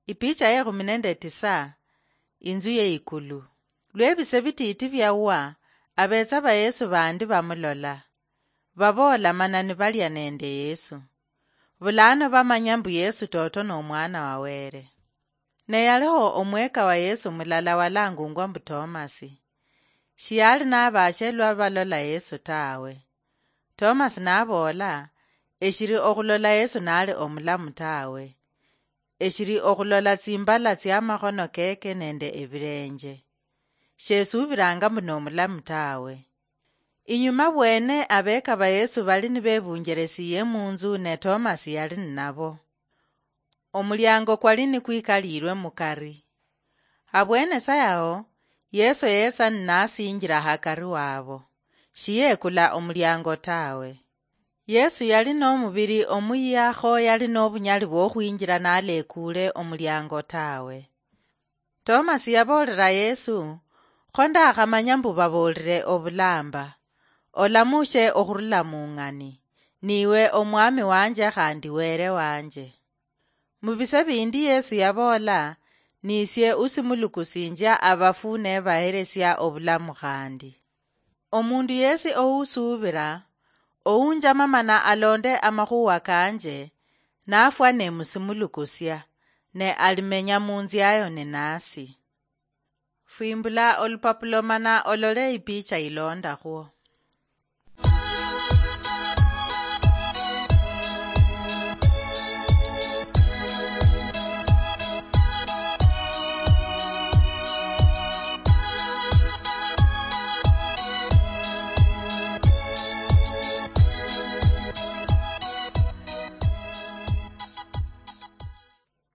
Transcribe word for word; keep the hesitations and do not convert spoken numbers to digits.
Ipicha ye khumi nende tisa. Inzu ye ikulu. Lwebise bititi biawa, abetsa ba Yesu bandi bamulola. Baboola mana nibalia nende Yesu. Bulano bamanya mbu Yesu toto nomwana wa Were. Ne yaliho omweka wa Yesu mulala walangungwa mbu Tomasi. Shiyali nabashe lwa balola Yesu tawe. Tomasi naboola, eshiri okhulola Yesu nali omulamu tawe. Eshiri okhulola tsimbala tsiamakhono keke nende ebirenje. Shesubiranga mbu nomulamu tawe. Inyuma bwene abeka ba Yesu bali nibebunjeresiye munzu ne Tomasi yali ninabo. Omuliango kwali nikwikalirwe mukari. Habwene sa yaho, Yesu yetsa ninasinjira hakari wabo. Shiyekula omuliango tawe. Yesu yali nomubiri omuyia kho yali nobunyali bwokhwinjira nalekuule omuliango tawe. Tomasi yaboolera Yesu, kho ndakhamanya mbu baboolere obulamba, olamushe okhurula mung'ani, niwe omwami wanje khandi Were wanje. Mubise bindi Yesu yaboola, nisie usimulukusinjia abafu nebaheresia obulamu khandi. Omundu yesi ousuubira, ounjama mana alonde amakhuwa kanje, nafwa nemusimulukusia, ne alimenya munziayo ninasi. Fwimbula olupapula mana olole ipicha ilondakhwo.